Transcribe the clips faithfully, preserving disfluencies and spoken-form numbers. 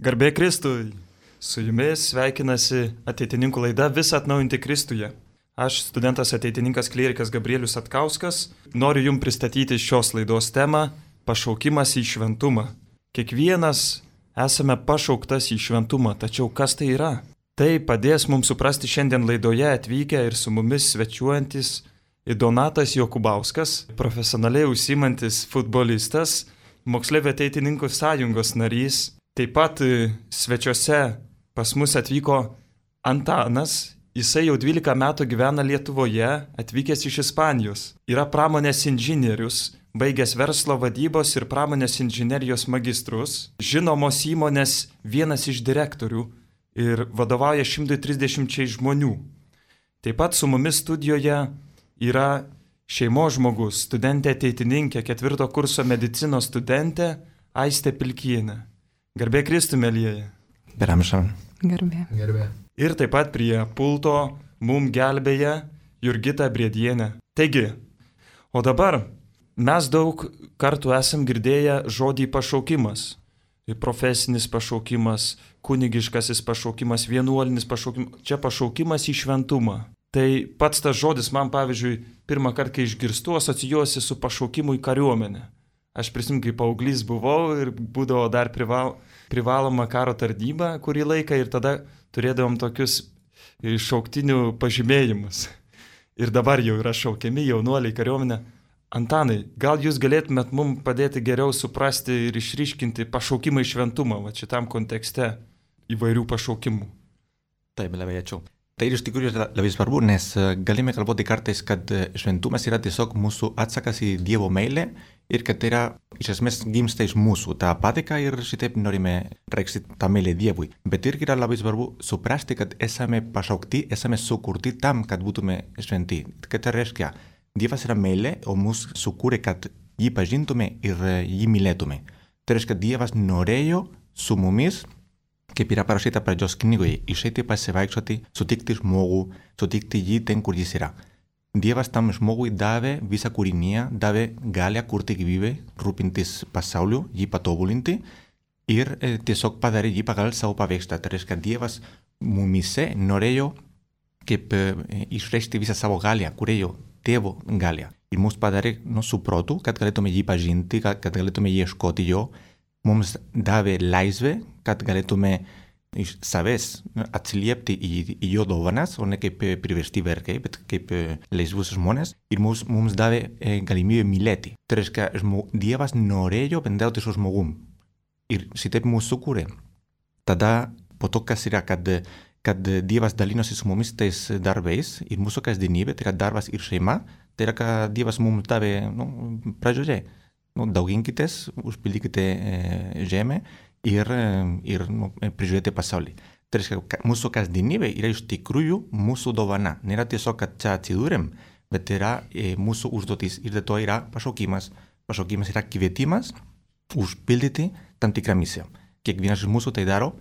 Garbė Kristui. Su jumis sveikinasi ateitininkų laida Visą atnaujinti Kristuje. Aš, studentas ateitininkas klierikas Gabrielius Atkauskas, noriu jums pristatyti šios laidos temą – pašaukimas į šventumą. Kiekvienas esame pašauktas į šventumą, tačiau kas tai yra? Tai padės mums suprasti šiandien laidoje atvykę ir su mumis svečiuojantis Donatas Jokubauskas, profesionaliai užsiimantis futbolistas, moksleivių ateitininkų sąjungos narys. Taip pat svečiuose pas mus atvyko Antanas, jisai jau dvylika metų gyvena Lietuvoje, atvykęs iš Ispanijos. Yra pramonės inžinierius, baigęs verslo vadybos ir pramonės inžinerijos magistrus, žinomos įmonės vienas iš direktorių ir vadovauja šimtui trisdešimčiai žmonių. Taip pat su mumis studijoje yra šeimos žmogus, studentė ateitininkė, ketvirto kurso medicinos studentė Aistė Pilkienė. Garbė Kristui, mielieji. Per amžių. Garbė. Garbė. Ir taip pat prie pulto mum gelbėja Jurgita Briedienė. Taigi, o dabar mes daug kartų esam girdėję žodį pašaukimas. Profesinis pašaukimas, kunigiškasis pašaukimas, vienuolinis pašaukimas. Čia pašaukimas į šventumą. Tai pats tas žodis man, pavyzdžiui, pirmą kartą, kai išgirstu, asocijuosi su pašaukimu į kariuomenę. Aš prisimenu, kai paauglys buvau ir būdavo dar prival, privaloma karo tarnyba kurį laiką ir tada turėdavom tokius šauktinių pažymėjimus. Ir dabar jau yra šaukiami jaunuoliai kariuomenę. Antanai, gal jūs galėtumėt mums padėti geriau suprasti ir išryškinti pašaukimą į šventumą, va šitam kontekste įvairių pašaukimų? Taip, labai ačiū. Tai iš tikrųjų yra labai svarbu, nes galime kalbėti kartais, kad šventumas yra tiesiog mūsų atsakas į Dievo meilę ir kad tai yra iš esmės gimsta iš mūsų tą patiką ir šitaip norime reikšti tą meilę Dievui. Bet irgi yra labai svarbu suprasti, kad esame pašaukti, esame sukurti tam, kad būtume šventi. Kad tai reiškia, Dievas yra meilė, o mus sukūrė, kad jį pažintume ir jį mylėtume. Tai reiškia, Dievas norėjo su mumis, kaip yra parašyta pradžios knygoje, išeiti pasivaikščioti, sutikti žmogų, sutikti jį ten, kur jis yra. Dievas tam žmogui davė visą kūriniją, davė galią kurti gyvybę, rūpintis pasauliu, jį patobulinti ir e, tiesiog padarė jį pagal savo paveikslą. Tai reiškia, Dievas mumise norėjo kaip e, išreikšti visą savo galią, kurėjo tėvo galią. Ir mus padarė nu, su protu, kad galėtume jį pažinti, kad, kad galėtume ieškoti jo. Mums davė laisvę, kad galėtume iš savęs atsiliepti į, į jo dovanas, o ne kaip priversti vergai, bet kaip laisvus žmonės. Ir mums, mums davė e, galimybę mylėti. Tai reiškia, žmo, Dievas norėjo bendrauti su žmogum. Ir šitaip mūsų sukūrė. Tada po to, kas yra, kad, kad Dievas dalinosi su mumis tais darbais ir mūsų kasdienybė, tai yra darbas ir šeima, tai yra, kad Dievas mums davė nu, pradžioje. Nu, dauginkitės, užpildykite e, žemę ir, ir nu, prižiūrėti pasaulį. Tai reiškia, mūsų kasdienybė yra iš tikrųjų mūsų dovana. Nėra tiesiog, kad čia atsidūrėm, bet yra e, mūsų užduotis ir dėl to yra pašaukimas. Pašaukimas yra kvietimas užpildyti tam tikrą misiją. Kiekvienas iš mūsų tai daro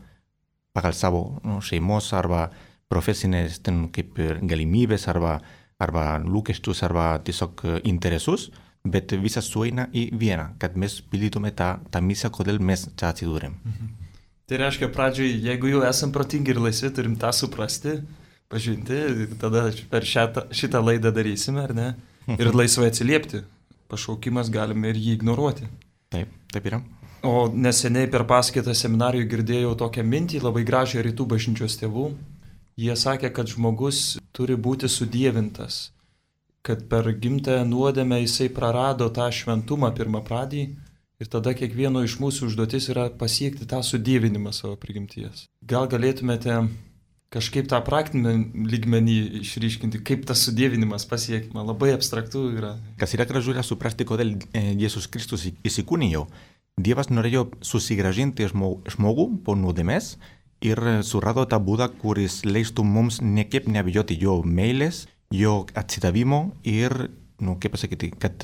pagal savo nu, šeimos arba profesinės ten, kaip galimybės arba, arba lūkesčius arba tiesiog interesus. Bet visas sueina į vieną, kad mes pildytume tą, tą misiją, kodėl mes čia atsidūrėm. Mhm. Tai reiškia, pradžioj, jeigu jau esam protingi ir laisvi, turim tą suprasti, pažinti, tada per šitą, šitą laidą darysime, ar ne? Ir laisvai atsiliepti. Pašaukimas galime ir jį ignoruoti. Taip, taip yra. O neseniai per paskaitą seminarijų girdėjau tokią mintį, labai gražią rytų bažnyčios tėvų. Jie sakė, kad žmogus turi būti sudievintas. Kad per gimtąją nuodėmę jisai prarado tą šventumą pirmą pradį ir tada kiekvieno iš mūsų užduotis yra pasiekti tą sudievinimą savo prigimties. Gal galėtumėte kažkaip tą praktinį lygmenį išryškinti, kaip tas sudievinimas pasiekima, labai abstraktu yra. Kas yra gražu yra suprasti, kodėl Jėzus Kristus įsikūnijo. Dievas norėjo susigrąžinti žmogų po nuodėmės ir surado tą būdą, kuris leistų mums niekaip neabejoti jo meilės, jo atsidavimo ir, nu, kaip pasakyti, kad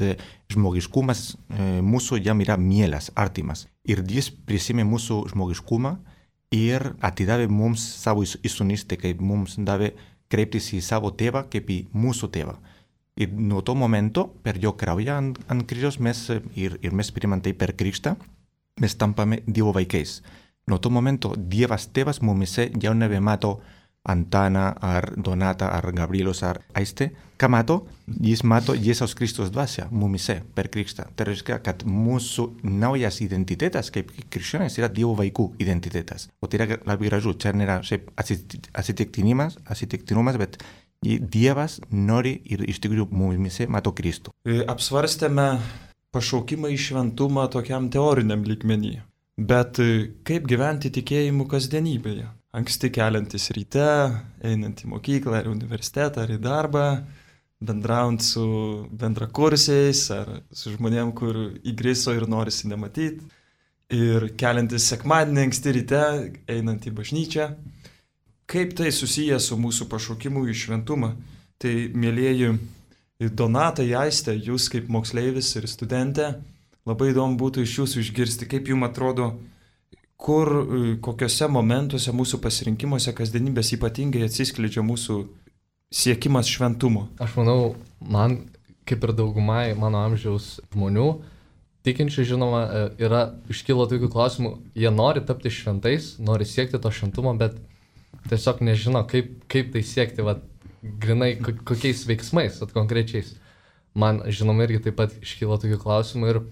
žmogiškumas e, mūsų jam yra mielas, artimas. Ir Dievas prisimė mūsų žmogiškumą ir atidavė mums savo įsūnystę, kaip mums davė kreiptis į savo tėvą kaip į mūsų tėvą. Ir nuo to momento, per jo kraują ant, ant kryžiaus mes, ir, ir mes priimam tai per krikštą, mes tampame Dievo vaikais. nuo to momento Dievas tėvas mumise jau nebemato Antaną ar Donatą ar Gabrielius ar Aistę. Ką mato? Jis mato Jėzaus Kristaus dvasią mumise per krikštą. Tai reiškia, kad mūsų naujas identitetas kaip krikščionys yra Dievo vaikų identitetas. O tai yra labai gražu. Čia nėra šiaip atsitiktinimas, atsitiktinumas, bet Dievas nori ir iš tikrųjų mumise mato Kristų. Apsvarstėme pašaukimą į šventumą tokiam teoriniam lygmenį. Bet kaip gyventi tikėjimu kasdienybėje? Anksti keliantis ryte, einant į mokyklą ar universitetą ar į darbą, bendraujant su bendrakursiais ar su žmonėm, kur įgriso ir norisi nematyti. Ir keliantis sekmadienį anksti ryte, einant į bažnyčią. Kaip tai susiję su mūsų pašaukimu į šventumą? Tai, mielieji Donatai, Aistė, jūs kaip moksleivis ir studentė, labai įdomu būtų iš jūsų išgirsti, kaip jums atrodo, kur, kokiuose momentuose mūsų pasirinkimuose kasdienybės ypatingai atsiskleidžia mūsų siekimas šventumo. Aš manau, man, kaip ir daugumai mano amžiaus žmonių, tikinčių žinoma, yra iškilo tokių klausimų, jie nori tapti šventais, nori siekti to šventumo, bet tiesiog nežino, kaip, kaip tai siekti, vat, grinai kokiais veiksmais, vat, konkrečiais. Man, žinoma, irgi taip pat iškilo tokių klausimų ir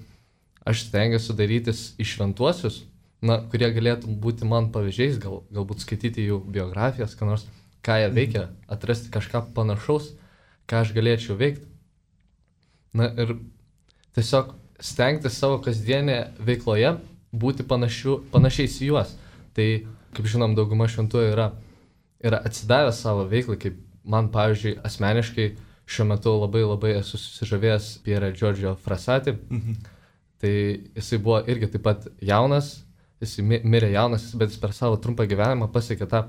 aš stengiuosi darytis į šventuosius, na, kurie galėtų būti man pavyzdžiais, gal, galbūt skaityti jų biografijas, ką nors, ką jie veikia, atrasti kažką panašaus, ką aš galėčiau veikti. Na ir tiesiog stengtis savo kasdienėje veikloje būti panašiu, panašiais į juos. Tai, kaip žinom, dauguma šventųjų yra, yra atsidavę savo veiklai, kaip man, pavyzdžiui, asmeniškai šiuo metu labai labai esu susižavėjęs Piero Giorgio Frassati. Mhm. Tai jisai buvo irgi taip pat jaunas, jis mirė jaunas, bet jis per savo trumpą gyvenimą pasiekė tą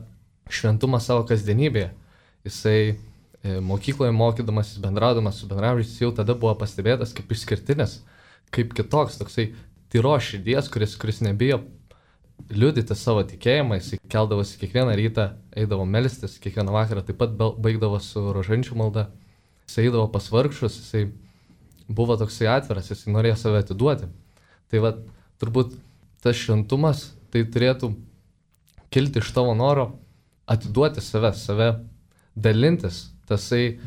šventumą savo kasdienybėje. Jisai e, mokykloje mokydamas, jis bendraudamas su bendraamžiais, jau tada buvo pastebėtas kaip išskirtinis, kaip kitoks, toksai tyros širdies, kuris, kuris nebijo liudyti savo tikėjimą, jisai keldavosi kiekvieną rytą, eidavo melstis, kiekvieną vakarą taip pat baigdavo su rožančių malda, jisai eidavo pas vargšus, jisai buvo toksai atviras, jisai norėjo save atiduoti. Tai va, turbūt tas šventumas, tai turėtų kilti iš tavo noro atiduoti save, save dalintis, tasai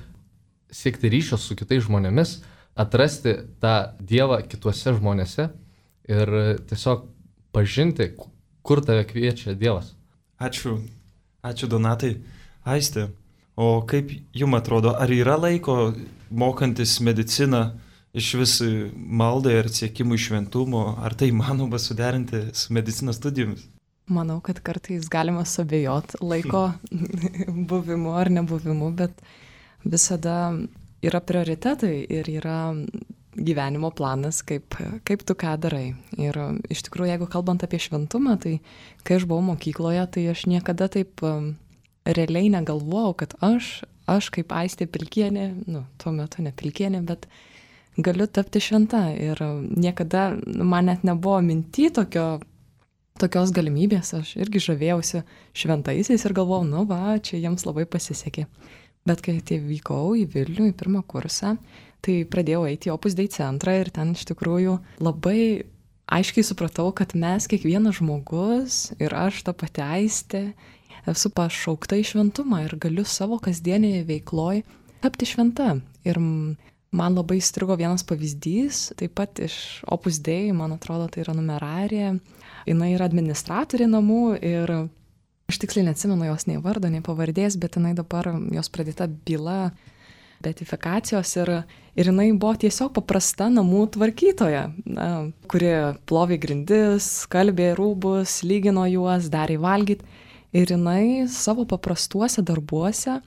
siekti ryšio su kitais žmonėmis, atrasti tą Dievą kituose žmonėse ir tiesiog pažinti, kur tave kviečia Dievas. Ačiū, ačiū Donatai. Aistė, o kaip jums atrodo, ar yra laiko mokantis mediciną iš vis maldai ir siekimui šventumo, ar tai įmanoma suderinti su medicinos studijomis? Manau, kad kartais galima suabejoti laiko buvimu ar nebuvimu, bet visada yra prioritetai ir yra gyvenimo planas, kaip, kaip tu ką darai. Ir iš tikrųjų, jeigu kalbant apie šventumą, tai kai aš buvau mokykloje, tai aš niekada taip um, realiai negalvojau, kad aš, aš kaip Aistė Pilkienė, nu, tuo metu ne Pilkienė, bet galiu tapti šventa. Ir niekada man net nebuvo minty tokio, tokios galimybės. Aš irgi žavėjausi šventaisiais ir galvojau, nu va, čia jiems labai pasisekė. Bet kai atvykau į Vilnių, į pirmą kursą, tai pradėjau eiti į Opus Dei centrą ir ten iš tikrųjų labai aiškiai supratau, kad mes, kiekvienas žmogus ir aš ta pati Aistė, esu pašaukta į šventumą ir galiu savo kasdienėje veikloj tapti šventa. Ir man labai įstrigo vienas pavyzdys, taip pat iš Opus Dei, man atrodo, tai yra numerarė. Jinai yra administratorė namų ir aš tiksliai neatsimenu jos nei vardo, nei pavardės, bet jinai dabar, jos pradėta byla beatifikacijos ir, ir jinai buvo tiesiog paprasta namų tvarkytoja, na, kuri plovė grindis, skalbė rūbus, lygino juos, darė valgyti. Ir jinai savo paprastuose darbuose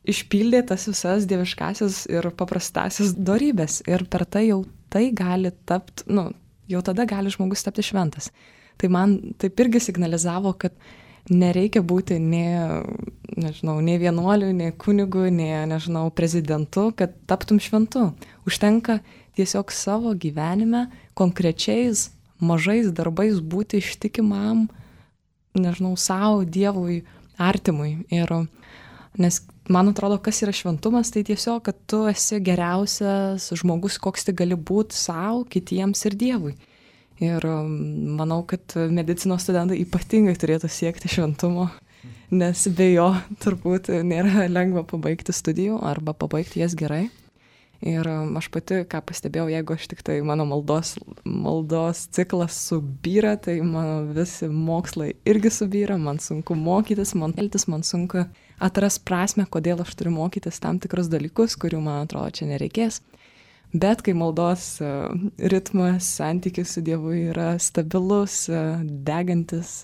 išpildė tas visas dieviškasias ir paprastasias dorybės. Ir per tai jau tai gali tapti, nu, jau tada gali žmogus tapti šventas. Tai man taip irgi signalizavo, kad nereikia būti nei, nežinau, nei vienuoliu, nei kunigu, nei, nežinau, prezidentu, kad taptum šventu. Užtenka tiesiog savo gyvenime konkrečiais mažais darbais būti ištikimam, nežinau, savo, Dievui, artimui. Ir nes man atrodo, kas yra šventumas, tai tiesiog, kad tu esi geriausias žmogus, koks tik gali būti savo, kitiems ir Dievui. Ir manau, kad medicinos studentai ypatingai turėtų siekti šventumo, nes be jo turbūt nėra lengva pabaigti studijų arba pabaigti jas gerai. Ir aš pati, ką pastebėjau, jeigu aš tik tai mano maldos, maldos ciklas subyra, tai mano visi mokslai irgi subyra, man sunku mokytis, man elgtis, man sunku atras prasme, kodėl aš turiu mokytis tam tikrus dalykus, kurių man atrodo čia nereikės. Bet kai maldos ritmas, santykis su Dievu yra stabilus, degantis,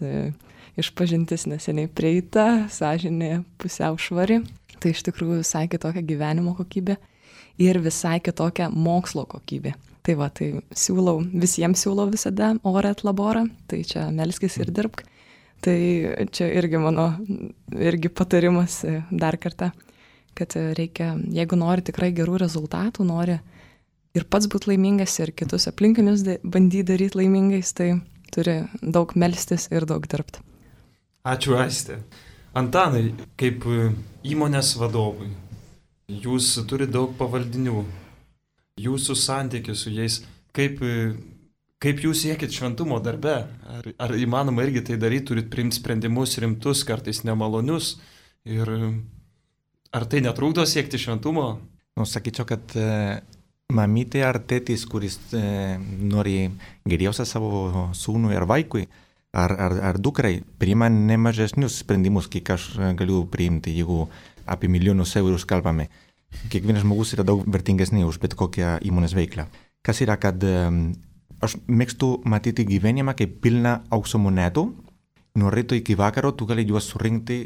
išpažintis neseniai prieita, sąžinė pusiau švari, tai iš tikrųjų visai kitokia gyvenimo kokybė ir visai kitokia mokslo kokybė. Tai va, tai siūlau, visiems siūlau visada orą et laborą, tai čia melskis ir dirbk. Tai čia irgi mano, irgi patarimas dar kartą, kad reikia, jeigu nori tikrai gerų rezultatų, nori ir pats būti laimingas, ir kitus aplinkinius bandyti daryti laimingais, tai turi daug melstis ir daug dirbti. Ačiū, Aistė. Antanai, kaip įmonės vadovui, jūs turite daug pavaldinių, jūsų santykis su jais, kaip, kaip jūs siekit šventumo darbe, ar, ar įmanoma irgi tai daryti, turit priimti sprendimus rimtus, kartais nemalonius, ir ar tai netrukdo siekti šventumo? Nu, sakyčiau, kad e, mamytė ar tėtis, kuris e, nori geriausia savo sūnui ar vaikui, ar, ar, ar dukrai, priima nemažesnius sprendimus, kiek aš galiu priimti, jeigu apie milijonus eurus kalbame. Kiekvienas žmogus yra daug vertingesnė už bet kokią įmonės veiklą. Kas yra, kad um, aš mėgstu matyti gyvenimą kaip pilną aukso monetų. Nuo ryto iki vakaro tu gali juos surinkti,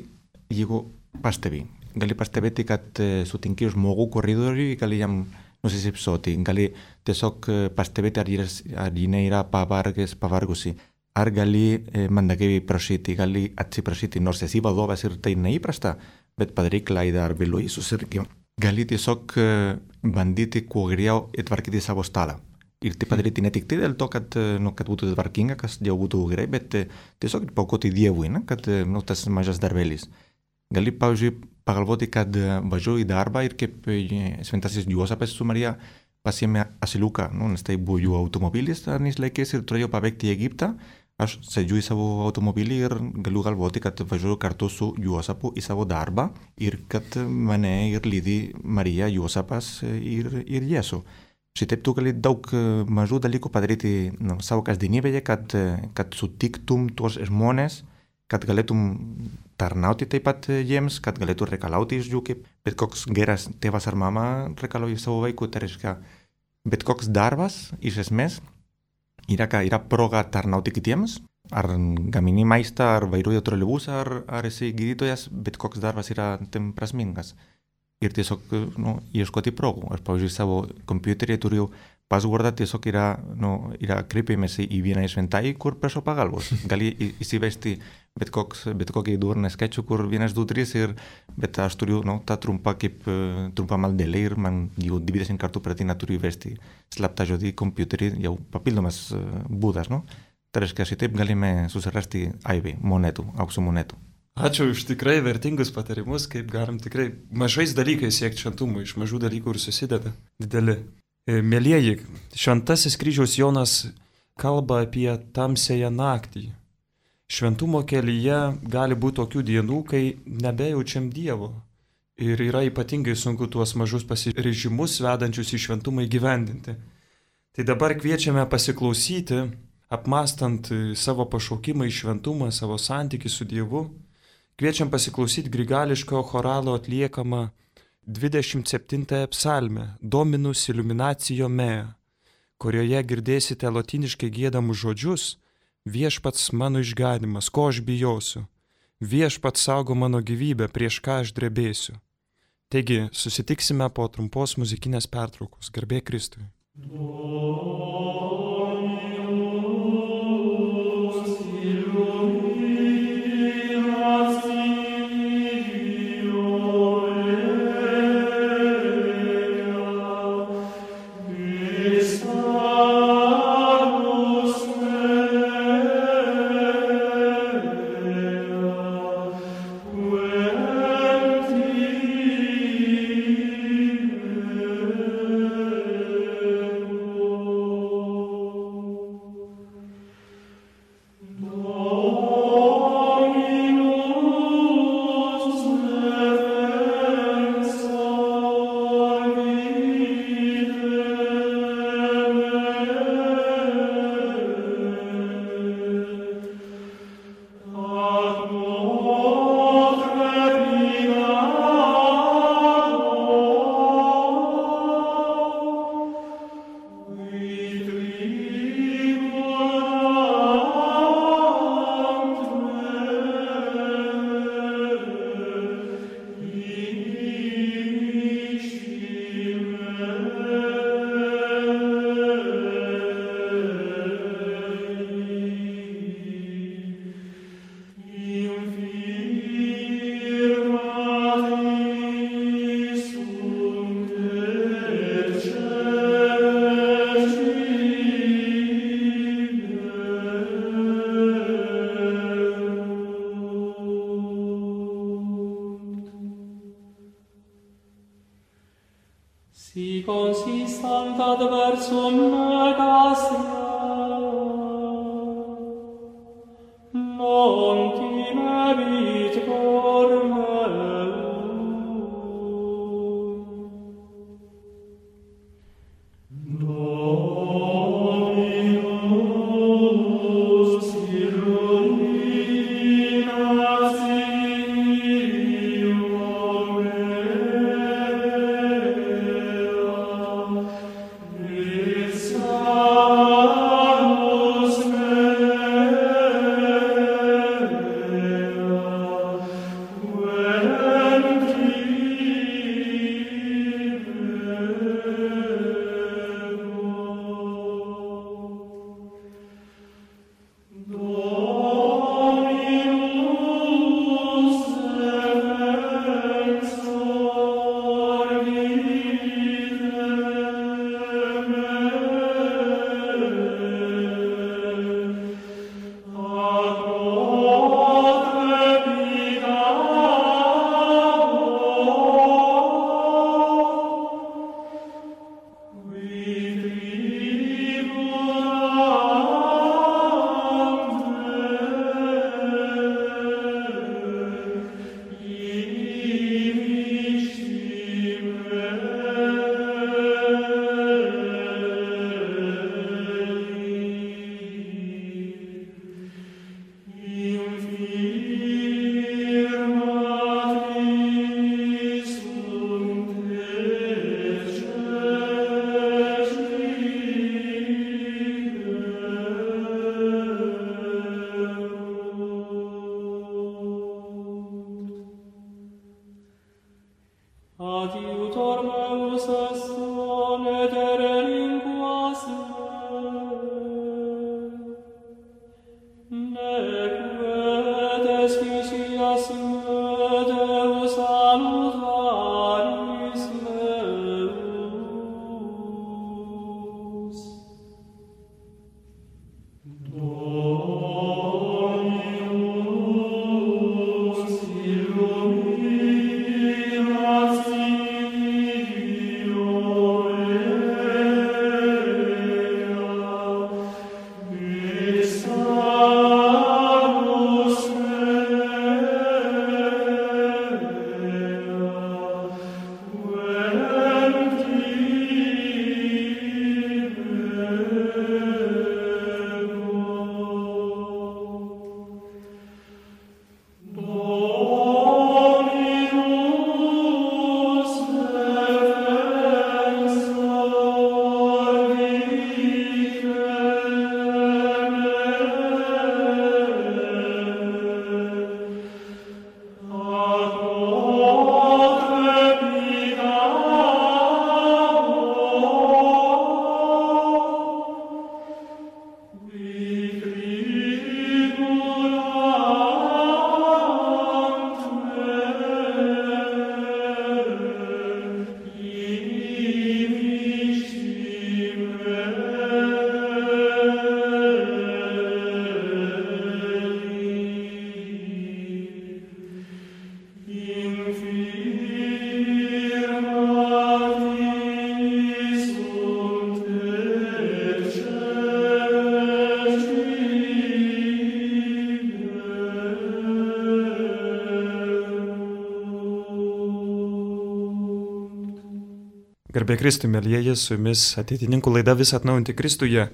jeigu pastebi. Gali pastebėti, kad uh, sutinki žmogų koridoriui, gali jam nusisipsoti. Gali tiesiog uh, pastebėti, ar, jis, ar jinai yra pavargęs, pavargusi. Ar gali eh, mandagiai prašyti, gali atsiprašyti, nors esi vadovas ir tai neįprasta, bet padaryk klaidą ar vėluoji susirgti. Gali tiesiog eh, bandyti kuo geriau tvarkyti savo stalą. Ir tai padaryti ne tik tai dėl to, kad, nu, kad būtų tvarkinga, kas jau būtų gerai, bet eh, tiesiog paukoti Dievui, ne? Kad nu, tas mažas darbelis. Gali, pavyzdžiui, pagalvoti, kad važiuoju į darbą ir kaip šventasis Juozapas su Marija pasiėmė asiliuką, nu, nes tai buvo jų automobilis anais laikais ir turėjo pabėgti į Egiptą. Aš sėdžiu į savo automobilį ir galiu galvoti, kad važiuoju kartu su Juozapu į savo darbą ir kad mane ir lydi Marija, Juozapas ir, ir Jėzus. Šitaip tu gali daug mažų dalykų padaryti nu, savo kasdienybėje, kad, kad sutiktum tuos žmonės, kad galėtum tarnauti taip pat jiems, kad galėtum reikalauti iš jų, kaip bet koks geras tėvas ar mama reikalauja savo vaikų. Tai reiškia, bet koks darbas iš esmės yra, yra proga tarnauti kitiems, ar gamini maistą, ar vairuoji troleibusą, ar, ar esi gydytojas, bet koks darbas yra tam prasmingas. Ir tiesiog nu, ieškoti progų. Aš, pavyzdžiui, savo kompiuterį turiu passwordą, tiesiog yra, nu, yra kreipiamasi į vieną šventąjį, kur prašau pagalbos. Gali įsivesti bet, koks, bet kokį durną skaičių, kur vienas, du, trys, ir, bet aš turiu nu, tą trumpą kaip trumpą maldelę ir man jau dvidešimt kartų per dieną turiu įvesti slaptą žodį į kompiuterį, jau papildomas būdas. Nu? Tai reiškia, šitaip galime susirasti aibę monetų, aukso monetų. Ačiū už tikrai vertingus patarimus, kaip galim tikrai mažais dalykais siekti šventumo, iš mažų dalykų ir susideda dideli. Mėlieji, šventasis kryžiaus Jonas kalba apie tamsiąją naktį. Šventumo kelyje gali būti tokių dienų, kai nebejaučiam Dievo. Ir yra ypatingai sunku tuos mažus pasiryžimus vedančius į šventumą įgyvendinti. Tai dabar kviečiame pasiklausyti, apmastant savo pašaukimą į šventumą, savo santykį su Dievu. Kviečiam pasiklausyti grigališko choralo atliekamą dvidešimt septintąją psalmę Dominus illuminatio mea, kurioje girdėsite lotyniškai giedamus žodžius: viešpats mano išganymas, ko aš bijosiu, viešpats saugo mano gyvybę, prieš ką aš drebėsiu. Taigi, susitiksime po trumpos muzikinės pertraukos. Garbė Kristui. Oh Si consistant adversum negasia, non timebit cor meum. Dominus illuminat silium Adiutor meus est sonedere linguas me, nec vedes ficias me Deus salutaris meus. Dominus illuminat silium et salus Garbė Kristui, mėlyjeji, su jumis ateitininkų laida Vis atnaujinti Kristuje.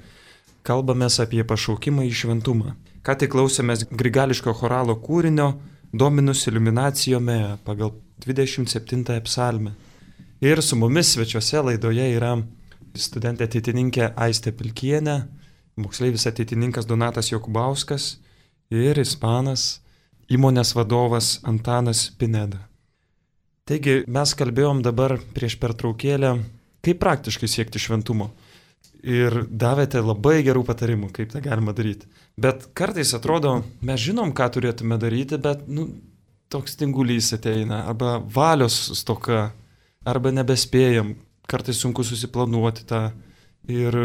Kalbamės apie pašaukimą į šventumą. Ką tik klausėmės grigališko choralo kūrinio Dominus illuminatio mea pagal dvidešimt septintąją psalmę. Ir su mumis svečiuose laidoje yra studentė ateitininkė Aistė Pilkienė, moksleivis ateitininkas Donatas Jokubauskas ir ispanas, įmonės vadovas Antanas Pineda. Taigi mes kalbėjom dabar prieš pertraukėlę, kaip praktiškai siekti šventumo. Ir davėte labai gerų patarimų, kaip tą galima daryti. Bet kartais atrodo, mes žinom, ką turėtume daryti, bet nu, toks tingulys ateina, arba valios stoka, arba nebespėjam, kartais sunku susiplanuoti tą. Ir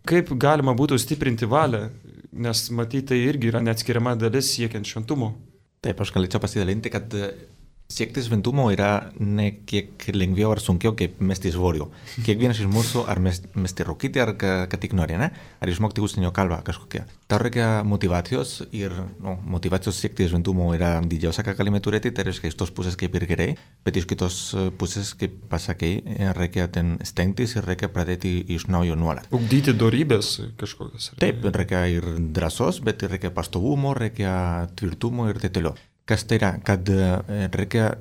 kaip galima būtų stiprinti valią, nes matyti tai irgi yra neatskiriama dalis siekiant šventumo. Taip, aš galėčiau pasidalinti, kad Siekti šventumo yra ne kiek lengviau ar sunkiau kaip mesti svorio. Kiekvienas iš mūsų ar mesti rūkyti ar ką tik nori, ne? Ar išmokti užsienio kalbą kažkokią. Tau reikia motivacijos ir no, motivacijos siekti šventumo yra didžiausia, ką galime turėti, tai reiškia iš tos pusės kaip ir gerai, bet iš kitos pusės, kaip pasakei, reikia ten stengtis ir reikia pradėti iš naujo nuolat. Ugdyti dorybės kažkokios. Taip, reikia ir drąsos, bet reikia pastovumo, reikia tvirtumo ir taip toliau. Kas tai yra, kad reikia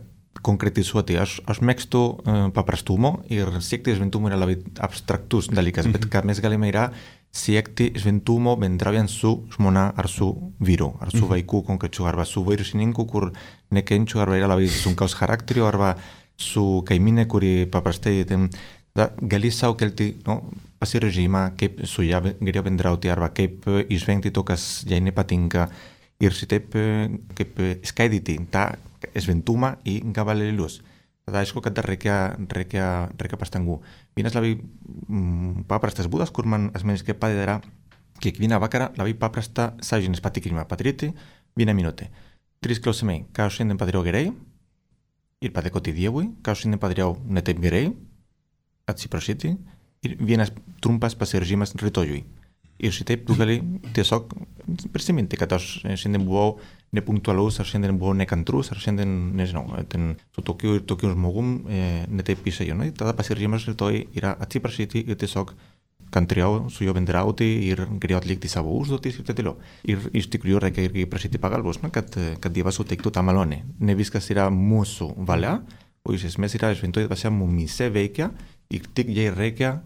konkretizuoti. Aš, aš mėgstu uh, paprastumo ir siekti šventumo yra labai abstraktus dalykas, mm-hmm. bet ką mes galime yra siekti šventumo bendraujant su žmona ar su vyru, ar su mm-hmm. vaiku konkrečiu, arba su vairusininku, kur nekenčiu, arba yra labai sunkaus charakterio, arba su kaimynė, kuri paprastai ten, da, gali sau kelti no, pasirežimą, kaip su ją geriau bendrauti, arba kaip išvengti to, kas jai nepatinka. Ir šitaip kaip skaidyti tą šventumą į gabalėlius. Tada aišku, kad reikia, reikia, reikia pastangų. Vienas labai mm, paprastas būdas, kur man asmeniškai padeda kiekvieną vakarą labai paprastą sąžinės patikrinimą padaryti vieną minutę. Trys klausimai. Ką aš šiandien padariau gerai ir padėkoti Dievui, ką aš šiandien padariau ne taip gerai, atsiprašyti ir vienas trumpas pasiryžimas rytojui. Ir šitaip tu gali tiesiog prisiminti, kad aš šiandien buvau nepunktualus, ar šiandien buvau nekantrus, ar šiandien, nežinau, ten su tokiu ir tokiu žmogum e, netaip išėjau. No? Tada pasiryžimas rytoj yra atsiprašyti ir tiesiog kantriau su juo bendrauti ir geriau atlikti savo užduotis ir taip toliau. Ir iš tikrųjų reikia irgi prašyti pagalbos, no? kad, kad Dievas suteiktų tą malonę. Ne viskas yra mūsų valia, o iš esmės yra šventoji dvasia mumyse veikia ir tik jai reikia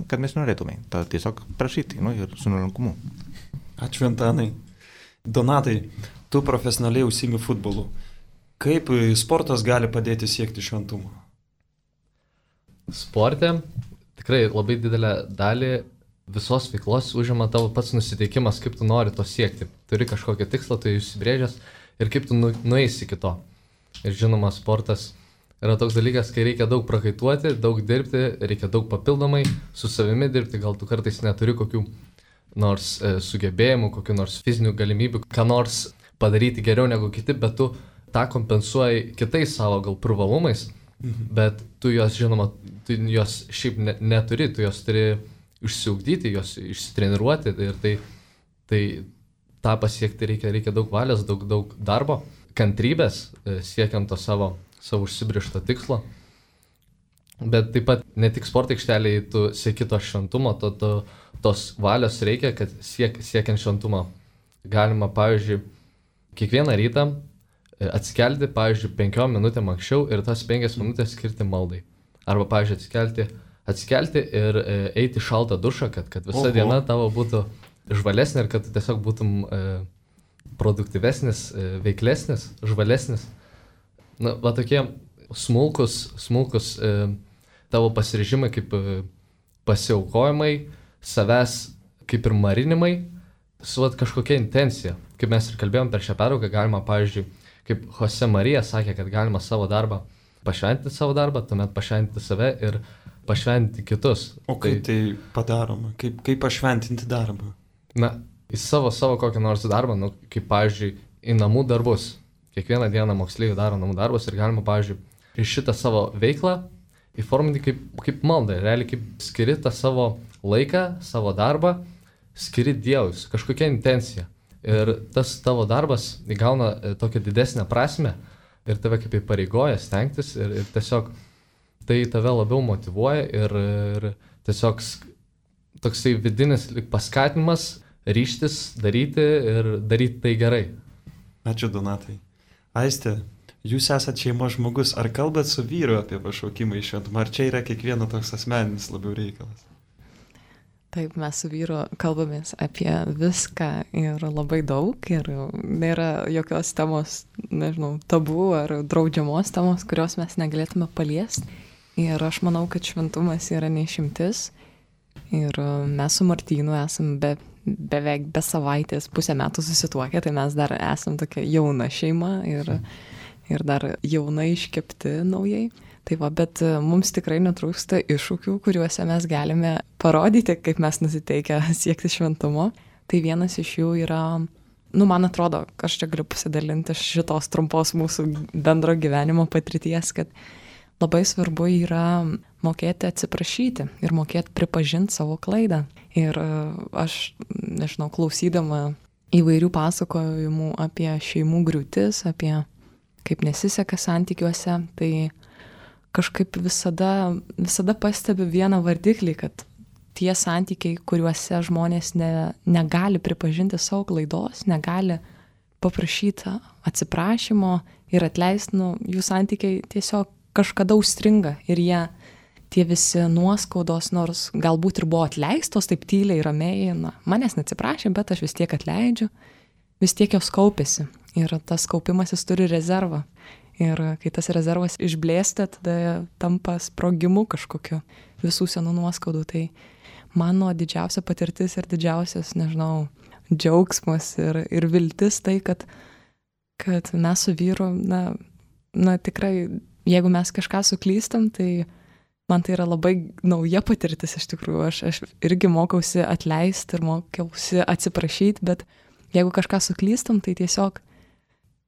kad mes norėtume. Tada tiesiog prašyti, nu, ir su nuolankumu. Ačiū, Antanai. Donatai, tu profesionaliai užsiimi futbolu. Kaip sportas gali padėti siekti šventumo? Sporte tikrai labai didelę dalį visos veiklos užima tavo pats nusiteikimas, kaip tu nori to siekti. Turi kažkokią tikslą, tu įsibrėžęs ir kaip tu nu, nueisi iki to. Ir žinoma, sportas yra toks dalykas, kai reikia daug prakaituoti, daug dirbti, reikia daug papildomai su savimi dirbti, gal tu kartais neturi kokių nors e, sugebėjimų, kokių nors fizinių galimybių, ką nors padaryti geriau negu kiti, bet tu tą kompensuoji kitais savo gal privalumais, mhm. bet tu jos, žinoma, tu jos šiaip ne, neturi, tu jos turi išsiugdyti, jos išsitreniruoti ir tai, tai tą pasiekti reikia, reikia daug valios, daug, daug darbo, kantrybės e, siekiant to savo savo užsibrėžto tikslo. Bet taip pat ne tik sporto aikštelėje tu sieki to šventumo, to, to, tos valios reikia, kad siek, siekiant šventumo galima, pavyzdžiui, kiekvieną rytą atsikelti, pavyzdžiui, penkiom minutėm anksčiau ir tas penkias minutės skirti maldai. Arba, pavyzdžiui, atsikelti, atsikelti ir e, eiti šaltą dušą, kad, kad visa Oho. diena tavo būtų žvalesnė ir kad tu tiesiog būtum e, produktyvesnis, e, veiklesnis, žvalesnis. Na, va tokie smulkus, smulkus e, tavo pasiryžimai kaip e, pasiaukojimai, savęs kaip ir marinimai, su va, kažkokia intencija. Kaip mes ir kalbėjom per šią perauką, galima, pavyzdžiui, kaip Jose Marija sakė, kad galima savo darbą pašventinti savo darbą, tuomet pašventinti save ir pašventinti kitus. O kaip tai, tai padaroma? Kaip, kaip pašventinti darbą? Na, į savo, savo kokią nors darbą, nu, kaip, pavyzdžiui, į namų darbus. Kiekvieną dieną moksleiviai daro namų darbus ir galima, pavyzdžiui, šitą savo veiklą įforminti kaip, kaip maldą. Realiai kaip skiri tą savo laiką, savo darbą, skiri Dievui, kažkokia intencija. Ir tas tavo darbas įgauna tokią didesnę prasmę ir tave kaip įpareigoja stengtis ir, ir tiesiog tai tave labiau motyvuoja ir, ir tiesiog toksai vidinis paskatinimas ryžtis daryti ir daryti tai gerai. Ačiū, Donatai. Aiste, jūs esate šeimos žmogus, ar kalbat su vyru apie pašaukimą į šventumą, ar čia yra kiekvieno toks asmeninis labiau reikalas? Taip, mes su vyru kalbamės apie viską ir labai daug ir nėra jokios temos, nežinau, tabų ar draudžiamos temos, kurios mes negalėtume paliesti. Ir aš manau, kad šventumas yra neišimtis ir mes su Martynu esam be beveik be savaitės pusę metų susituokę, tai mes dar esam tokia jauna šeima ir, ir dar jaunai iškepti naujai. Tai va, bet mums tikrai netrūksta iššūkių, kuriuose mes galime parodyti, kaip mes nusiteikę siekti šventumo. Tai vienas iš jų yra nu, man atrodo, aš čia galiu pasidalinti iš šitos trumpos mūsų bendro gyvenimo patirties, kad labai svarbu yra mokėti atsiprašyti ir mokėti pripažinti savo klaidą. Ir aš, nežinau, klausydama įvairių pasakojimų apie šeimų griūtis, apie kaip nesiseka santykiuose, tai kažkaip visada, visada pastebiu vieną vardiklį, kad tie santykiai, kuriuose žmonės ne, negali pripažinti savo klaidos, negali paprašyti atsiprašymo ir atleisti, nu, jų santykiai tiesiog kažkada užstringa ir jie, tie visi nuoskaudos, nors galbūt ir buvo atleistos, taip tyliai, ramiai, na, manęs neatsiprašė, bet aš vis tiek atleidžiu, vis tiek jos kaupėsi ir tas kaupimasis turi rezervą. Ir kai tas rezervas išblėsta, tada tampa sprogimu kažkokiu visų senų nuoskaudų. Tai mano didžiausia patirtis ir didžiausias, nežinau, džiaugsmas ir, ir viltis tai, kad, kad mes su vyru, na, na tikrai, jeigu mes kažką suklystam, tai man tai yra labai nauja patirtis iš tikrųjų. Aš, aš irgi mokausi atleisti ir mokiausi atsiprašyti, bet jeigu kažką suklystam, tai tiesiog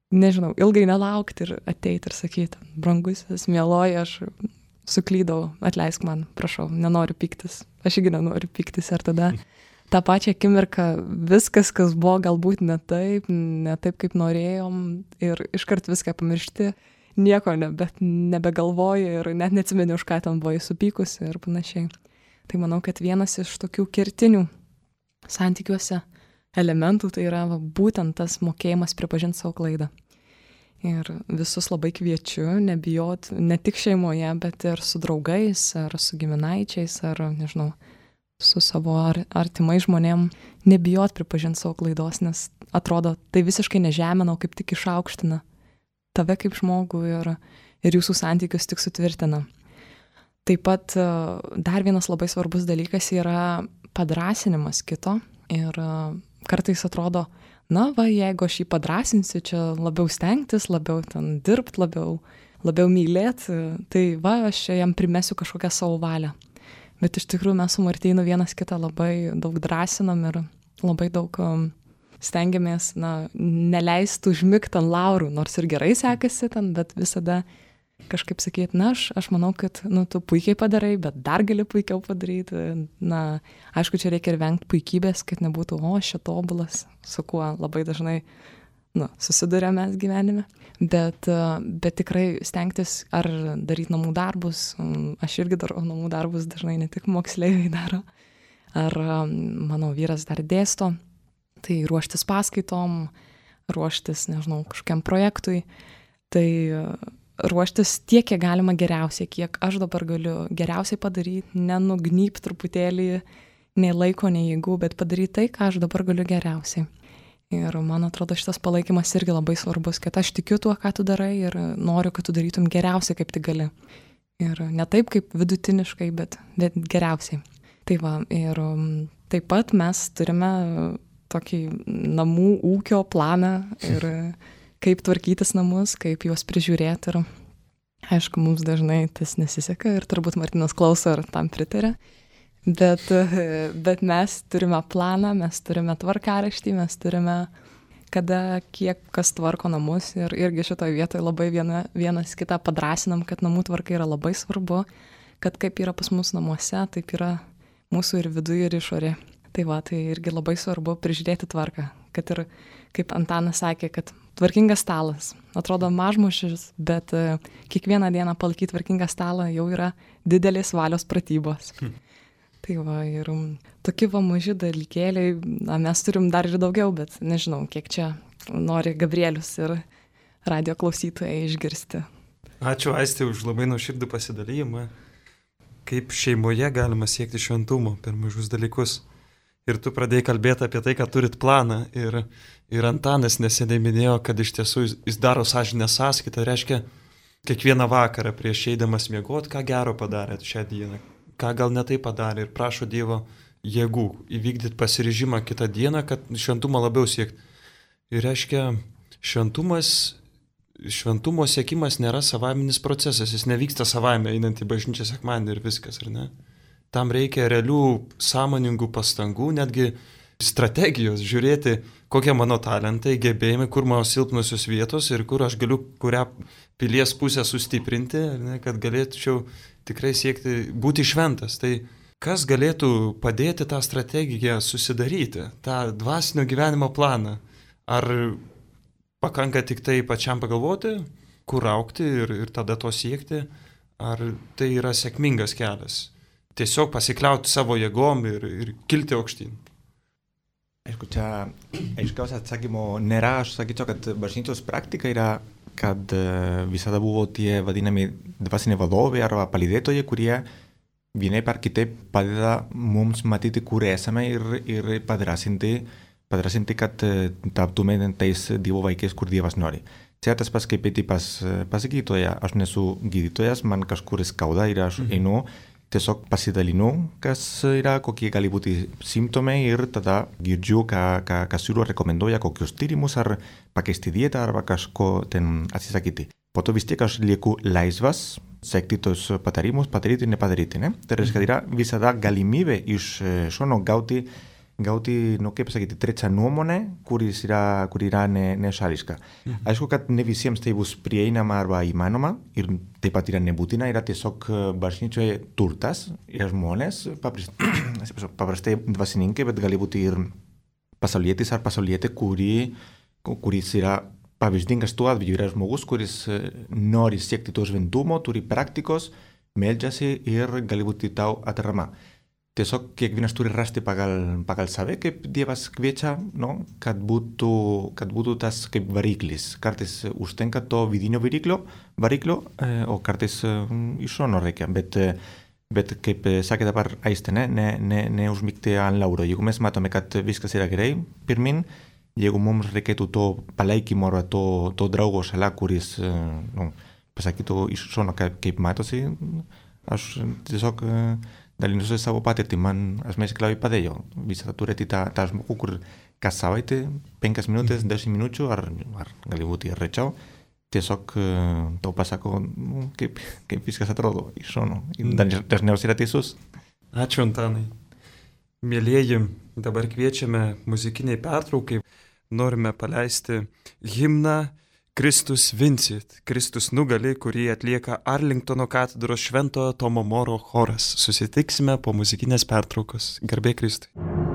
nežinau, ilgai nelaukti ir ateiti ir sakyti, brangusis, mieloji, aš suklydau, atleisk man, prašau, nenoriu pyktis, aš irgi nenoriu pyktis. Ir tada tą pačią akimirką viskas, kas buvo galbūt ne taip, ne taip, kaip norėjom, ir iškart viską pamiršti, nieko nebe, nebegalvoji ir net neatsimeni, už ką ten buvai supykusi ir panašiai. Tai manau, kad vienas iš tokių kertinių santykiuose elementų tai yra va, būtent tas mokėjimas pripažinti savo klaidą. Ir visus labai kviečiu nebijot ne tik šeimoje, bet ir su draugais, ar su giminaičiais, ar, nežinau, su savo ar, artimai žmonėm, nebijot pripažinti savo klaidos, nes atrodo, tai visiškai nežemina, o kaip tik išaukština tave kaip žmogų ir, ir jūsų santykius tik sutvirtina. Taip pat dar vienas labai svarbus dalykas yra padrąsinimas kito ir kartais atrodo, na va, jeigu aš jį padrąsinsiu, čia labiau stengtis, labiau ten dirbti, labiau, labiau mylėti, tai va, aš čia jam primesiu kažkokią savo valią. Bet iš tikrųjų mes su Martynu vienas kitą labai daug drąsinam ir labai daug um, stengiamės, na, neleisti užmigti ant laurų, nors ir gerai sekasi ten, bet visada kažkaip sakyti, na, aš, aš manau, kad, nu, tu puikiai padarai, bet dar gali puikiau padaryti. Na, aišku, čia reikia ir vengti puikybės, kad nebūtų, o, aš čia tobulas, su kuo labai dažnai, nu, susidurėm mes gyvenime. Bet, bet tikrai stengtis ar daryti namų darbus, aš irgi darau namų darbus, dažnai ne tik moksleiviai daro, ar mano vyras dar dėsto, tai ruoštis paskaitom, ruoštis, nežinau, kažkokiam projektui, tai ruoštis tiek, kiek galima geriausiai, kiek aš dabar galiu geriausiai padaryti, nenugnybt truputėlį, nei laiko, nei jėgų, bet padaryti tai, ką aš dabar galiu geriausiai. Ir man atrodo, šitas palaikymas irgi labai svarbus, kad aš tikiu tuo, ką tu darai ir noriu, kad tu darytum geriausiai, kaip tik gali. Ir ne taip, kaip vidutiniškai, bet, bet geriausiai. Tai va, ir taip pat mes turime tokį namų ūkio planą ir kaip tvarkytis namus, kaip juos prižiūrėti. Ir aišku, mums dažnai tas nesiseka ir turbūt Martynas klauso ir tam pritarė. Bet, bet mes turime planą, mes turime tvarkaraštį, mes turime, kada kiek kas tvarko namus ir irgi šitoje vietoje labai viena, vienas kitą padrąsinam, kad namų tvarka yra labai svarbu, kad kaip yra pas mus namuose, taip yra mūsų ir viduje, ir išorė. Tai va, tai irgi labai svarbu prižiūrėti tvarką, kad ir, kaip Antanas sakė, kad tvarkingas stalas, atrodo mažmušis, bet kiekvieną dieną palaikyti tvarkingą stalą jau yra didelės valios pratybos. Hmm. Tai va, ir tokie va maži dalykėliai, na, mes turim dar ir daugiau, bet nežinau, kiek čia nori Gabrielius ir radio klausytojai išgirsti. Ačiū, Aistė, už labai nuoširdų pasidalymą. Kaip šeimoje galima siekti šventumo per mažus dalykus. Ir tu pradėjai kalbėti apie tai, kad turit planą. Ir, ir Antanas neseniai minėjo, kad iš tiesų jis, jis daro sąžinės sąskaitą. Reiškia, kiekvieną vakarą prieš eidamas miegoti, ką gero padarėt šią dieną. Ką gal ne tai padarė ir prašo Dievo jėgų įvykdyti pasiryžimą kitą dieną, kad šventumą labiau siekti. Ir reiškia, šventumas, šventumo siekimas nėra savaiminis procesas, jis nevyksta savaime einant į bažnyčią sekmadienį ir viskas, ar ne? Tam reikia realių sąmoningų pastangų, netgi strategijos, žiūrėti, kokie mano talentai, gebėjimai, kur mano silpnusios vietos ir kur aš galiu kurią pilies pusę sustiprinti, ne, kad galėčiau tikrai siekti būti šventas. Tai kas galėtų padėti tą strategiją susidaryti, tą dvasinio gyvenimo planą? Ar pakanka tik tai pačiam pagalvoti, kur aukti ir, ir tada to siekti, ar tai yra sėkmingas kelias? Tiesiog pasikliauti savo jėgom ir, ir kilti aukštyn. Aišku, čia aiškiaus atsakymo nėra, aš sakyčiau, kad bažnyčios praktika yra, kad visada buvo tie vadinami dvasiniai vadovai arba palydėtojai, kurie vienaip ar kitaip padeda mums matyti, kur esame ir, ir padrasinti, padrasinti, kad taptume tais Dievo vaikais, kur Dievas nori. Čia tas pats kaip eiti pas, pas gydytoją. Aš nesu gydytojas, man kažkur skauda ir aš einu, tiesiog pasidalinu, kas yra, kokie gali būti simptomai ir tada girdžiu, ką, ką, ką siūlo, rekomenduoja, kokius tyrimus ar pakeisti dietą arba kažko ten atsisakyti. Po to vis tiek aš lieku laisvas sekti tos patarimus, padaryti ir nepadaryti. Ne? Tai reiškia, yra visada galimybė iš šono gauti, gauti, nu kaip sakyti, trečią nuomonę, kuris yra, kur yra ne, nešališka. Mhm. Aišku, kad ne visiems tai bus prieinama arba įmanoma ir taip pat yra nebūtina, yra tiesiog bažnyčioje turtas, yra žmonės, paprastai dvasininkai, bet gali būti ir pasaulietis ar pasaulietė, kuri, kuris yra pavyzdingas tuo atveju, yra žmogus, kuris nori siekti to šventumo, turi praktikos, meldžiasi ir gali būti tau atrama. Tiesiog kiekvienas turi rasti pagal, pagal save, kaip Dievas kviečia, no? kad, būtų, kad būtų tas kaip variklis. Kartais užtenka to vidinio variklio, variklio e, o kartais e, iš šono reikia. Bet, e, bet kaip sakė dabar Aistė, ne, ne, ne, neužmigti ant lauro. Jeigu mes matome, kad viskas yra gerai, pirmin, jeigu mums reikėtų to palaikymo ar to, to draugo šalia, kuris e, no, pasakytų iš šono, kaip, kaip matosi, aš tiesiog... E, dalinuosi savo patirtį, man asmeniškai labai padėjo visada turėti tą, tą žmogų, kur kas savaitę, penkias minutės, dešimt minučių, ar, ar gali būti ir rečiau, tiesiog tau pasako, nu, kaip, kaip viskas atrodo iš šono. Dažniausiai yra teisus. Ačiū, Antanai. Mėlieji, dabar kviečiame muzikiniai pertraukai. Norime paleisti himną Kristus vincit, Kristus nugali, kurį atlieka Arlingtono katedros Šventojo Tomo Moro choras. Susitiksime po muzikinės pertraukos. Garbė Kristui. Amen.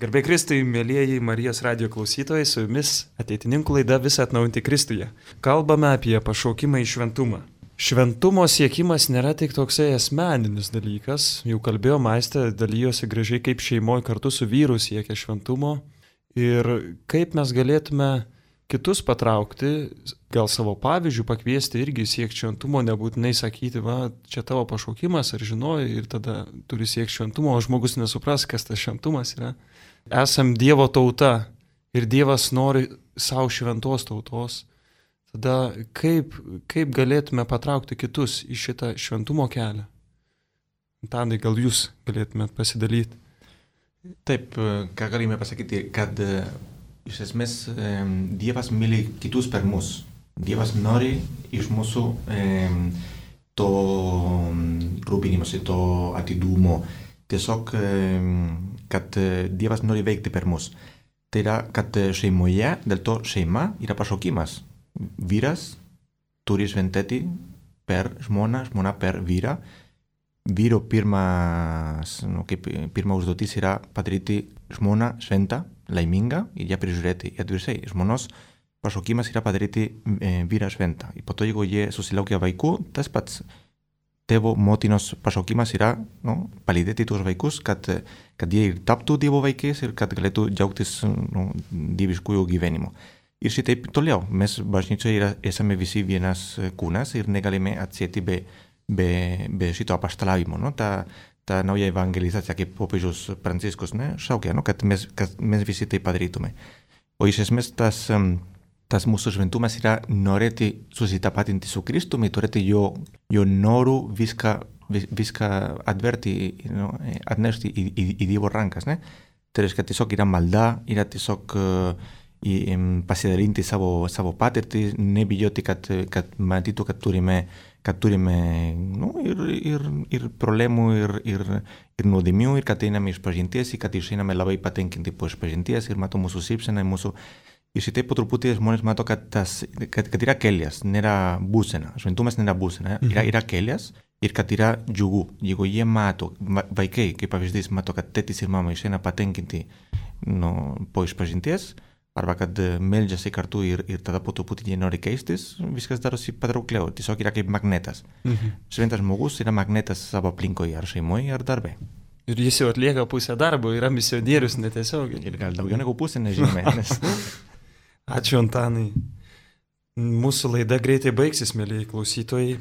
Garbė Kristui, mėlyjeji Marijos radijo klausytojai, su jumis ateitininkų laida Visa atnaujinti Kristuje. Kalbame apie pašaukimą į šventumą. Šventumo siekimas nėra tik toksai asmeninis dalykas. Jau kalbėjo Maistė, dalyjosi gražiai, kaip šeimoje kartu su vyru siekia šventumo ir kaip mes galėtume kitus patraukti, gal savo pavyzdžių pakviesti irgi siekti šventumo, nebūtinai sakyti, va, čia tavo pašaukimas ar žinoji ir tada turi siekti šventumo, o žmogus nesupras, kas tas šventumas yra. Esam Dievo tauta ir Dievas nori savo šventos tautos. Tada kaip, kaip galėtume patraukti kitus į šitą šventumo kelią? Tadai, gal jūs galėtumėt pasidalyti? Taip, ką galime pasakyti, kad iš esmės Dievas myli kitus per mus. Dievas nori iš mūsų to rūpinimosi, to atidumo. Tiesiog, kad Dievas nori veikti per mus. Tai yra, kad šeimoje, dėl to šeima yra pašaukimas. Vyras turi šventėti per žmoną, žmona per vyrą. Vyro pirmas, nu, kaip pirma užduotis yra padaryti žmoną šventą, laimingą ir ją prižiūrėti. Ir atvirkščiai, žmonos pašaukimas yra padaryti e, vyrą šventą. Ir po to, jeigu jie susilaukia vaikų, tas pats tėvo motinos pašaukimas yra nu, palydėti tuos vaikus, kad, kad jie ir taptų Dievo vaikais ir kad galėtų džiaugtis nu, dieviškųjų gyvenimo. Ir šitaip toliau, mes bažnyčioje esame visi vienas kūnas ir negalime atsieti be be, be šito apaštalavimo, no? ta, ta nauja evangelizacija, kaip popiežius Pranciškus ne? šaukia, no? kad, mes, kad mes visi tai padarytume. O iš esmės tas, tas mūsų šventumas yra norėti susitapatinti su Kristumi, turėti jo, jo norų viską, viską atverti, no? atnešti į, į, į Dievo rankas. Ne? Tai reiškia, tiesiog yra malda, yra tiesiog uh, į, um, pasidalinti savo, savo patirtį, nebijoti, kad, kad matytų, kad turime kad turime nu, ir, ir, ir problemų, ir, ir, ir nuodėmių, ir kad einame iš pažinties, ir kad išeiname labai patenkinti po išpažinties, ir mato mūsų šypseną, mūsų... Ir šitai po truputį žmonės mato, kad, tas, kad, kad yra kelias, nėra būsena. Šventumas nėra būsena, yra, yra kelias ir kad yra džiugu. Jeigu jie mato, vaikai, kaip pavyzdys, mato, kad tėtis ir mama išeina patenkinti nu, po išpažinties, arba kad meldžiasi kartu ir, ir tada po truputį jie nori keistis, viskas darosi patraukliau, tiesiog yra kaip magnetas. Mhm. Šventas žmogus yra magnetas savo aplinkoje, ar šeimoje, ar darbe. Ir jis jau atlieka pusę darbo, yra misionierius netiesiogiai. Ir gal daugiau negu pusę, nežinome. Nes... Ačiū, Antanai. Mūsų laida greitai baigsis, mėlyjei klausytojai.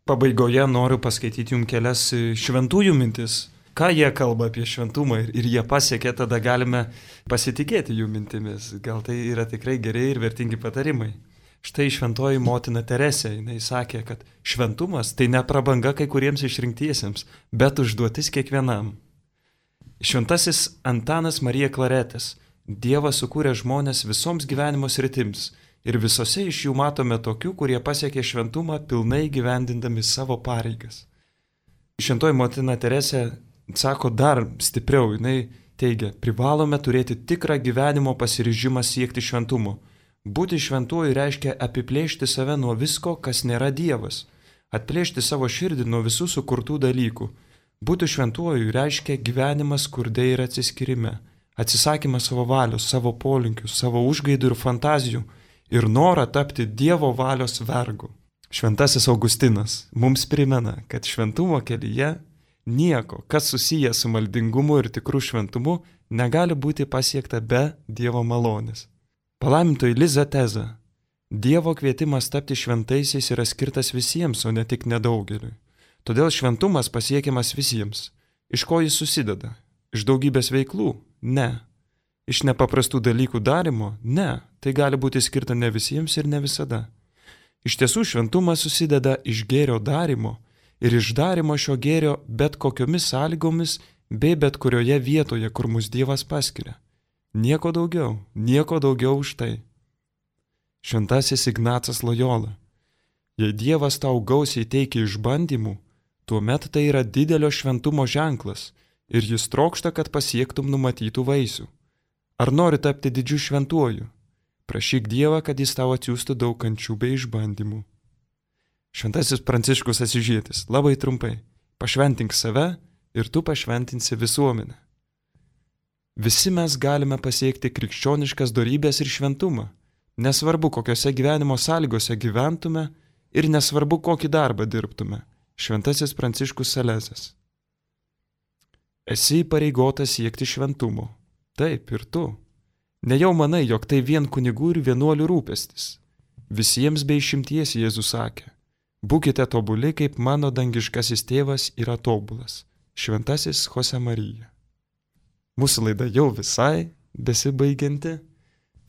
Pabaigoje noriu paskaityti jums kelias šventųjų mintis. Ką jie kalba apie šventumą ir, ir jie pasiekė, tada galime pasitikėti jų mintimis. Gal tai yra tikrai geri ir vertingi patarimai. Štai šventoji motina Teresė, jinai sakė, kad šventumas tai ne prabanga kai kuriems išrinktiesiems, bet užduotis kiekvienam. Šventasis Antanas Marija Klaretas. Dievas sukūrė žmonės visoms gyvenimo sritims ir visose iš jų matome tokių, kurie pasiekė šventumą pilnai gyvendindami savo pareigas. Šventoji motina Teresė sako dar stipriau, jinai teigia, privalome turėti tikrą gyvenimo pasiryžimą siekti šventumo. Būti šventuoju reiškia apiplėšti save nuo visko, kas nėra Dievas, atplėšti savo širdį nuo visų sukurtų dalykų. Būti šventuoju reiškia gyvenimas skurde ir atsiskyrime, atsisakymas savo valios, savo polinkių, savo užgaidų ir fantazijų ir norą tapti Dievo valios vergu. Šventasis Augustinas mums primena, kad šventumo kelyje nieko, kas susijęs su maldingumu ir tikru šventumu, negali būti pasiekta be Dievo malonės. Palaimintoji Liza teza. Dievo kvietimas tapti šventaisiais yra skirtas visiems, o ne tik nedaugeliui. Todėl šventumas pasiekiamas visiems. Iš ko jis susideda? Iš daugybės veiklų? Ne. Iš nepaprastų dalykų darimo? Ne. Tai gali būti skirta ne visiems ir ne visada. Iš tiesų šventumas susideda iš gėrio darimo ir iš darimo šio gėrio bet kokiomis sąlygomis bei bet kurioje vietoje, kur mus Dievas paskiria. Nieko daugiau, nieko daugiau už tai. Šventasis Ignacas Lojola. Jei Dievas tau gausiai teikia išbandymų, tuomet tai yra didelio šventumo ženklas ir jis trokšta, kad pasiektum numatytų vaisių. Ar nori tapti didžiu šventuoju? Prašyk Dievą, kad jis tau atsiųstų daug kančių bei išbandymų. Šventasis Pranciškus Asyžietis, labai trumpai, pašventink save ir tu pašventinsi visuomenę. Visi mes galime pasiekti krikščioniškas dorybės ir šventumą. Nesvarbu, kokiose gyvenimo sąlygose gyventume ir nesvarbu, kokį darbą dirbtume. Šventasis Pranciškus Salezas. Esi įpareigotas siekti šventumo. Taip, ir tu. Nejau manai, jog tai vien kunigų ir vienuolių rūpestis. Visiems be išimties Jėzus sakė, būkite tobuli, kaip mano dangiškasis tėvas yra tobulas. Šventasis Jose Marija. Mūsų laida jau visai besibaigianti,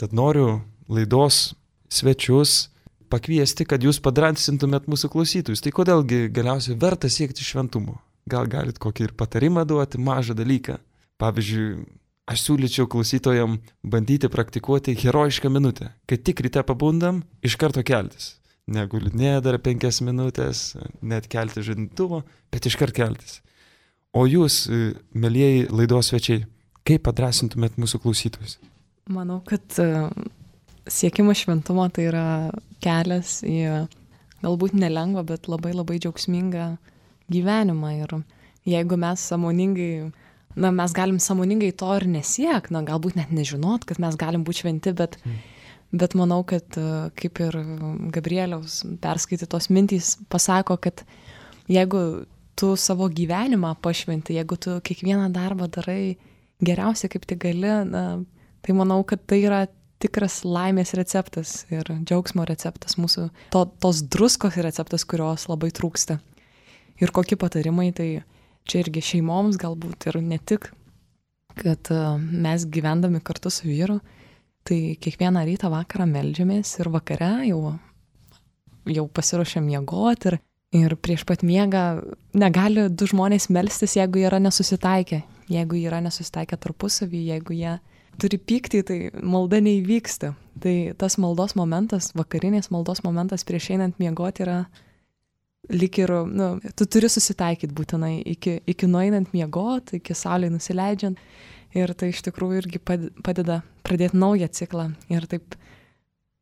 tad noriu laidos svečius pakviesti, kad jūs padrąsintumėt mūsų klausytojus. Tai kodėlgi galiausiai verta siekti šventumo? Gal galit kokį ir patarimą duoti, mažą dalyką? Pavyzdžiui, aš siūlyčiau klausytojam bandyti praktikuoti herojišką minutę. Kai tik ryte pabundam, iš karto keltis. Negulinė dar penkias minutės, net kelti žadintuvo, bet iš karto keltis. O jūs, mielieji laidos svečiai, kaip padrąsintumėt mūsų klausytojus? Manau, kad siekimas šventumo tai yra kelias į galbūt nelengvą, bet labai labai džiaugsmingą gyvenimą. Ir jeigu mes sąmoningai, na, mes galim sąmoningai to ir nesiek, na, galbūt net nežinot, kad mes galim būti šventi, bet, mm. bet manau, kad kaip ir Gabrieliaus perskaitytos mintys pasako, kad jeigu tu savo gyvenimą pašventi, jeigu tu kiekvieną darbą darai geriausiai kaip tik gali, na, tai manau, kad tai yra tikras laimės receptas ir džiaugsmo receptas, mūsų to, tos druskos receptas, kurios labai trūksta. Ir kokie patarimai, tai čia irgi šeimoms galbūt ir ne tik, kad mes gyvendami kartu su vyru, tai kiekvieną rytą vakarą meldžiamės ir vakare jau, jau pasiruošiam miegoti ir, ir prieš pat miegą negali du žmonės melstis, jeigu jie yra nesusitaikę, jeigu jie yra nesusitaikę tarpusavį, jeigu jie turi pyktį, tai malda neįvyksta. Tai tas maldos momentas, vakarinės maldos momentas prieš einant miegoti yra lyg ir, nu, tu turi susitaikyti būtinai iki, iki nueinant miegoti, iki saulei nusileidžiant. Ir tai iš tikrųjų irgi padeda pradėti naują ciklą. Ir taip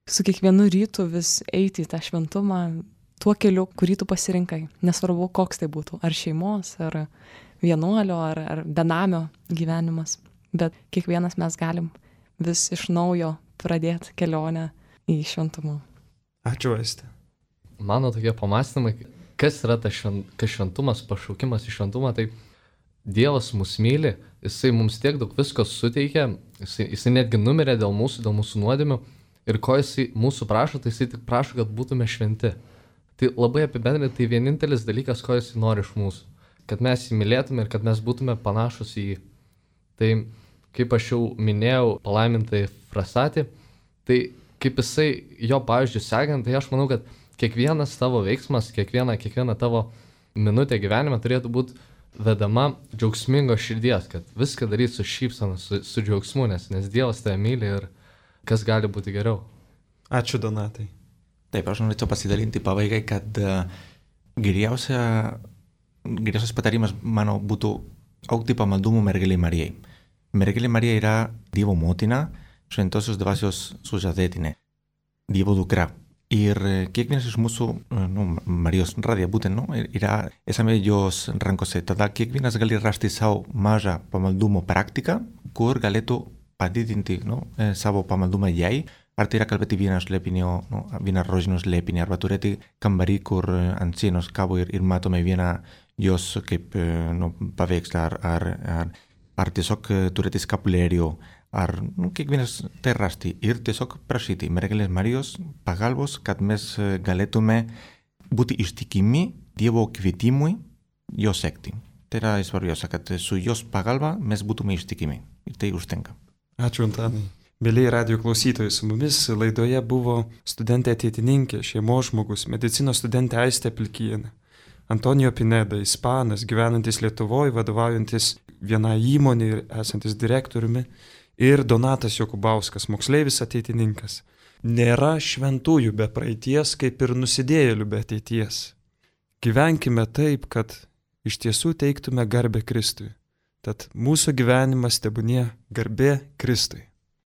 su kiekvienu rytu vis eiti į tą šventumą tuo keliu, kurį tu pasirinkai. Nesvarbu, koks tai būtų. Ar šeimos, ar vienuolio, ar, ar benamio gyvenimas. Bet kiekvienas mes galim vis iš naujo pradėti kelionę į šventumą. Ačiū, Aiste. Mano tokie pamąstymai, kas yra tas švent, šventumas, pašaukimas į šventumą, tai Dievas mus myli, jisai mums tiek daug visko suteikia, jisai, jisai netgi numirė dėl mūsų, dėl mūsų nuodėmių ir ko jisai mūsų prašo, tai jisai tik prašo, kad būtume šventi. Tai labai apibendrinti, tai vienintelis dalykas, ko jisai nori iš mūsų, kad mes jį mylėtume ir kad mes būtume panašus į jį. Tai kaip aš jau minėjau, palaimintai Frasatį, tai kaip jisai jo pavyzdžių sekant, tai aš manau, kad kiekvienas tavo veiksmas, kiekviena, kiekviena tavo minutė gyvenime turėtų būti vedama džiaugsmingo širdies, kad viską daryti su šypsena, su, su džiaugsmu, nes, nes Dievas tave myli ir kas gali būti geriau. Ačiū, Donatai. Taip, aš norėčiau pasidalinti pabaigai, kad uh, geriausia, geriausias patarimas, mano, būtų augti pamaldumu mergelei Marijai. Mergelė Marija yra Dievo motina, šventosios dvasios sužadėtinė, Dievo dukra. Ir kiekvienas iš mūsų, nu, Marijos radija būtent, nu, yra esame jos rankose. Tada kiekvienas gali rasti savo mažą pamaldumo praktiką, kur galėtų padidinti, nu, savo pamaldumą jai. Ar tai yra kalbėti vieną slėpinį, nu, vieną rožinio slėpinį, arba turėti kambarį, kur ant sienos kabo ir, ir matome vieną jos kaip, nu, paveikslą, ar, ar, ar, ar tiesiog turėti skapulėrijų. Ar, nu, kiekvienas tai rasti ir tiesiog prašyti mergelės Marijos pagalbos, kad mes galėtume būti ištikimi Dievo kvietimui jo sekti. Tai yra svarbiausia, kad su jos pagalba mes būtume ištikimi. Ir tai užtenka. Ačiū, Antanai. Mėlyje radio klausytojai, su mumis laidoje buvo studentė ateitininkė, šeimos žmogus, medicinos studentė Aistė Pilkienė, Antonijo Pineda, ispanas, gyvenantis Lietuvoje, vadovaujantis vienai įmonė ir esantis direktoriumi, ir Donatas Jokubauskas, moksleivis ateitininkas. Nėra šventųjų be praeities, kaip ir nusidėjėlių be ateities. Gyvenkime taip, kad iš tiesų teiktume garbę Kristui. Tad mūsų gyvenimas tebūnie garbė Kristui.